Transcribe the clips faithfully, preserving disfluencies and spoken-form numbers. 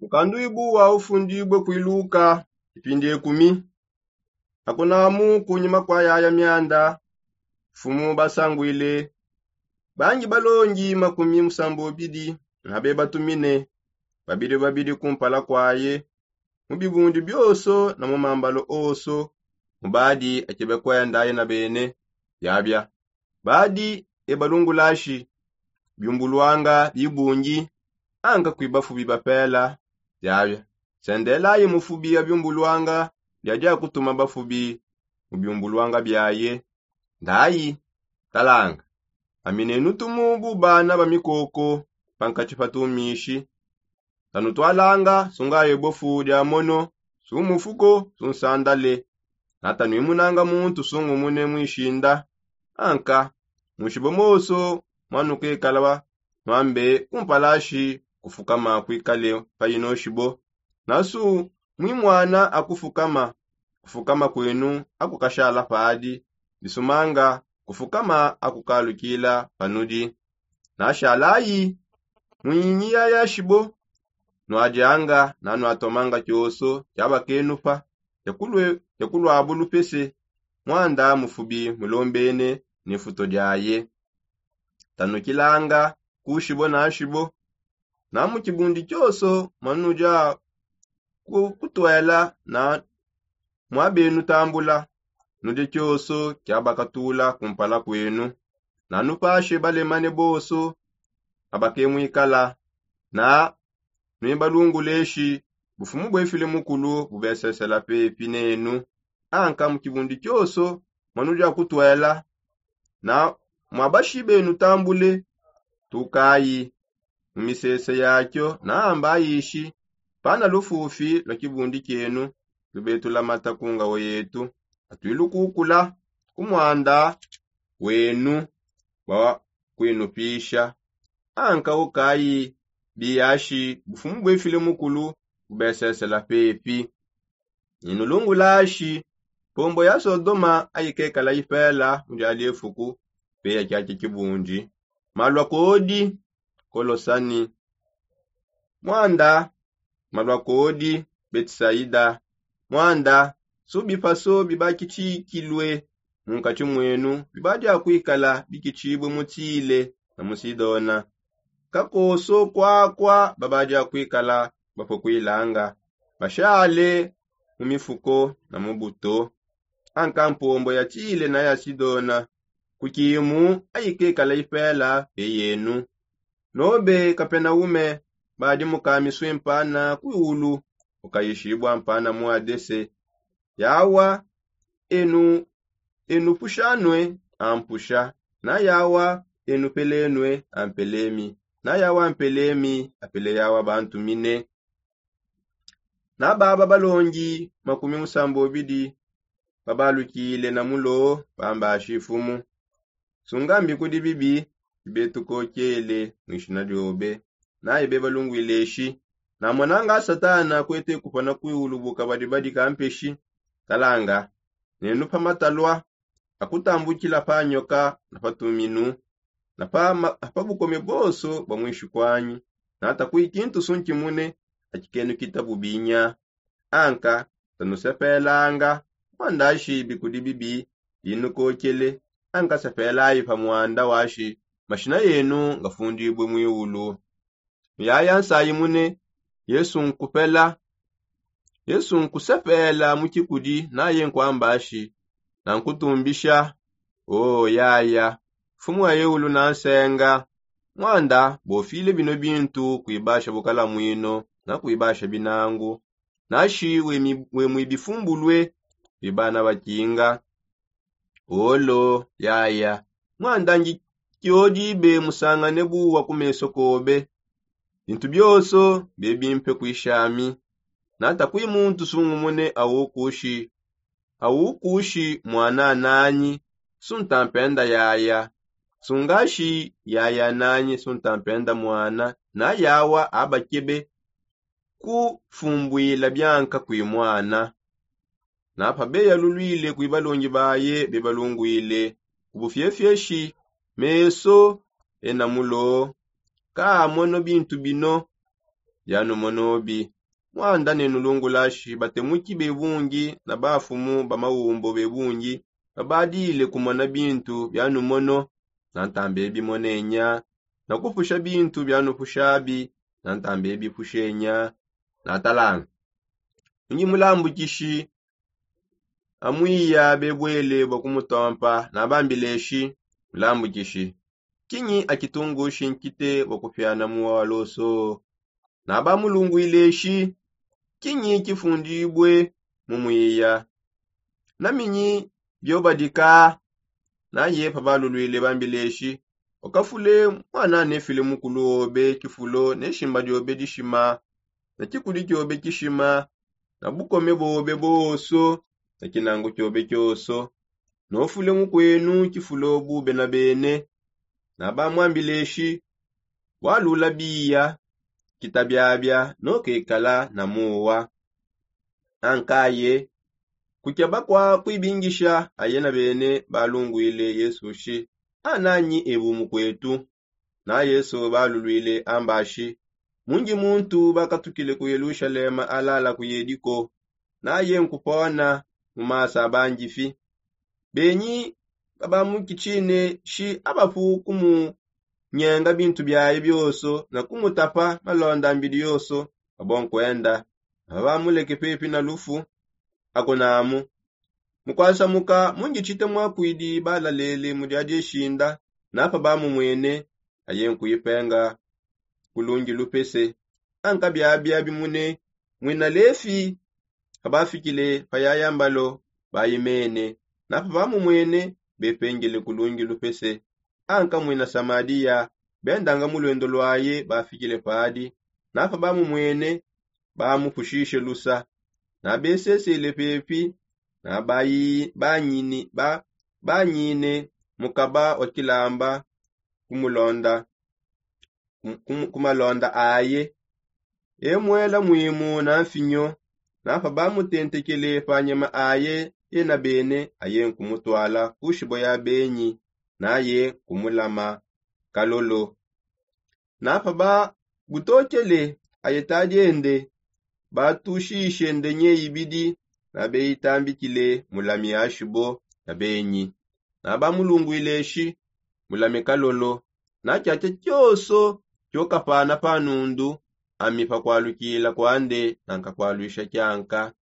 Mukanduibu wa ufundibue kuiluka ipindi ekumi. Akunamu kunyima kua yaya mianda, mfumu basangwile bangi balongi makumi musambobidi, nabe batumine babidi babidi kumpala kuaye, mu bibundi bioso na mu mambalo oso, mu badi akebe kuendaye na bene. Yabia badi ebalungulashi biumbuluanga bibungi, anka kuibafubi bapela. Yabia sendelaye mufubi abiumbuluanga, biadi akutuma bafubi mu biumbuluanga biaye. Ndayi talanga, aminenu tumu bu bana ba mikoko pankati pa tumishi. Tanutwalanga sungaye bofu dia mono, sumufuko sunsandale. Natanuimunanga muntu sungumune muishinda. Anka munshibo moso mwanukekala nwambe kumpalashi kufukama kuikale pa ino shibo. Nasu mwimwana akufukama, kufukama kwenu akukashala padi bisumanga, kufukama akukalukila panudi. Nashalayi mwinyi yaya shibo, nwadianga na nwatomanga kioso kiabakenupa, kiakulwabulu pese. Mwanda mufubi mulombene ne futo diaye. Tanukilanga kushibo na shibo, na mu kibundi kioso mwanudia kutwela na mwabenu tambula, nudi kioso kiabakatula kumpala kwenu. Nanupashe balemane boso abakemwikala, na nuibalunguleshi bufumu bwefile mukulu bubesesela pepi nenu. Anka mu kibundi kioso mwanudia kutwela, na mwabashibenu tambule, tukayi mu misese yakio naambayishi pana lufufi lwa kibundi kienu, tubetulamata ku ngawo yetu, atwilukukula ku mwanda wenu bwa kwinupisha. Anka ukayi biyashi bufumu bwefile mukulu bubesesela pepi. Inulungulashi pombo ya sodoma ayikekala ipela mu diali efuku, pe ya kiaki kibundi. Malwa kodi kolosani, mwanda malwa kodi betisaida. Mwanda subipaso bibakitshikilue mu nkatshi mwenu bibadi akuikala bikitshibue mu tile na mu sidona. Kakoso kwakwa babadi akuikala bapue kuilanga, bashale mu mifuko na mu buto. Anka mpombo ya tile na ya sidona kukimu ayikekala ipela pe yenu. Nobe kapenaume badi mukamisue mpana kuiulu, ukayishibua mpana mu adese. Yawa enu enu pushanue ampusha, na yawa enu pelenue ampelemi, na yawa ampelemi apele yawa bantumine. Na baba balongi makumi musambobidi babalukile na mulo bambashi mfumu, sungambi kudi bibi bibetukokele mwishina diobe. Naye bebalungwile eshi, namonanga satana kwete kupana kwiulu bukabadibadi kampeshi. Talanga, nenu pa matalua akutambukila pa nyoka na pa tuminu na pa bukome bonso bwa mwishi kwanyi, nata kwikintu sunkimune akikenu kita bubinya. Anka tanusepelanga mwandashi bikudi bibi binukokele. Anka sepelayi pa mwanda washi mashina yenu ngafundibue mwiulu. Muyaya nsayi mune yesu nkupela, yesu nkusepela mu kikudi naye nkwambashi, nankutumbisha. O yaya, mfumu wa eulu nansenga. Mwanda bofile bino bintu kuibasha bukalamwino na kuibasha binangu, nashi wemwibifumbulue bibana bakinga. Olo yaya, mwandangi kiodibe musangane buwa ku meso kobe. Bintu bionso biebimpe kuishami. Nata kui muntu sungumune aukushi aukushi mwana ananyi, suntampenda yaya. Sungashi yaya ananyi suntampenda mwana, na yawa abakebe kufumbuila bianka kui mwana. Na pabeyalulwile kui balongi baye bebalungwile ku bufiefieshi, meso ena mulo kaamono bintu bino. bianumonobi. Muanda ne nulungulashi batemuki bebungi na bafumu ba maumbo bebungi babadile kumona bintu bianumono. Nantambe bimonenya na kupusha bintu bianupushabi. Nantambe bipushenya. Natalanga ungi mulambukishi amwiya bebwele bua kumutompa nabambileshi, mulambukishi, kinyi akitungushi nkite bua kupiana muwa wa loso? Nabamulungwileshi, kinyi kifundibue mu mwiya? Naminyi biobadika? Naye pabalulwile bambileshi, ukafule muana nefile mukulu obe kifulo ne shimba diobe dishima ne kikudi kiobe kishima na bukome bobe bonso ne kinangu kiobe kionso. Nofule mukuenu kifulo bube na bene. Nabamwambileshi, walula biya, kita biabia nokekala na muwa. Ankaye kukeba kua kuibingisha aye na bene balungwile yesu shi, ananyi ebu mukuetu? Na yesu balulwile ambashi, mungi muntu bakatukile ku yelushalema alala ku yediko. Naye nkupona mu masa abangifi. Benyi kabamukitshine shi abapu kumunyenga bintu biaye bionso na kumutapa malonda mbidi yonso. Abo nkuenda. Abamuleke pepi na lufu. Akunamu, mukwasamuka mungitshite mwakwidi balalele mu dia dieshinda. Napa bamumwene aye nkuipenga kulungi lupese. Anka biabia bimune mwina lefi. Abafikile pa yaya mbalo bayimene. Napa bamumwene bepengele kulungi lupese. Anka mwina samadiya bendanga mu luendo luaye bafikile padi. Napa bamumwene bamupushishe lusa. Nabesesele pepi na banyine mukaba wa kilamba ku malonda aye. Emuela mwimu na mfinyo. Napa bamutentekele pa nyama aye ena bene aye nkumutwala ku shibo ya benyi. Naye nkumulama kalolo. Napa babutokele aye tadiende batushishe ndenye ibidi. Nabeyitambikile mulami ashibo ya benyi. Nabamulungwile shi, mulame kalolo. Na tshiatshia tshionso tshiokapana pa nundu ami pakualukila kuande nankakualuisha tshianka.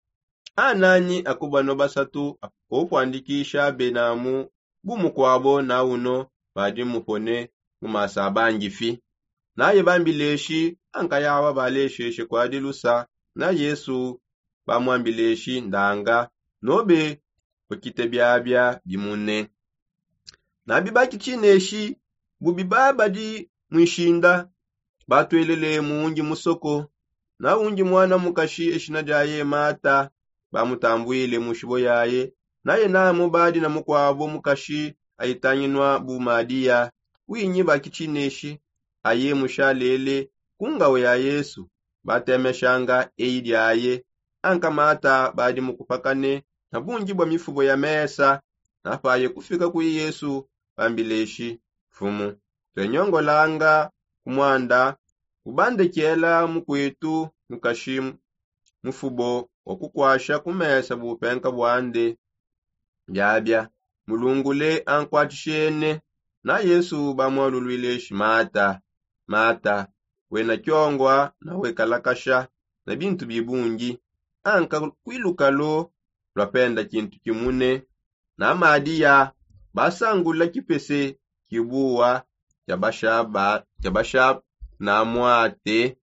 Ananyi akubanua basatu opuandikisha benamu bu mukuabo na uno badi mupone mu masa abangifi? Naye bambileshi ankayawa balesheshe kuadi lusa. Na yesu bamwambileshi ndanga nobe ukite biabia bimune. Nabi bakitshineshi bubi babadi muishinda. Batwelele mu undi musoko na undi muana mukashi eshina diaye mata. Bamutambwile mu shibo yaye. Naye namu badi na mukuabo mukashi ayitanginua bu madiya. Winyi bakitshineshi aye mushalele ku ngawe ya yesu batemeshanga eyi diaye. Anka mata badi mukupakane na bungi bua mifubo ya mesa. Napaye kufika kui yesu bambileshi, mfumu, tuenyongolanga ku muanda ubandekela mukuetu mukashi mufubo wa kukuasha ku mesa bupenka buande. Biabia mulungule ankuatshishene. Na yesu bamualuluileshi mata, mata, wena tshiongua na wekalakasha na bintu bibungi. Anka kuilukalu luapenda kintu kimune. Na madiya basangula kipese kibuwa tshia basha na muate.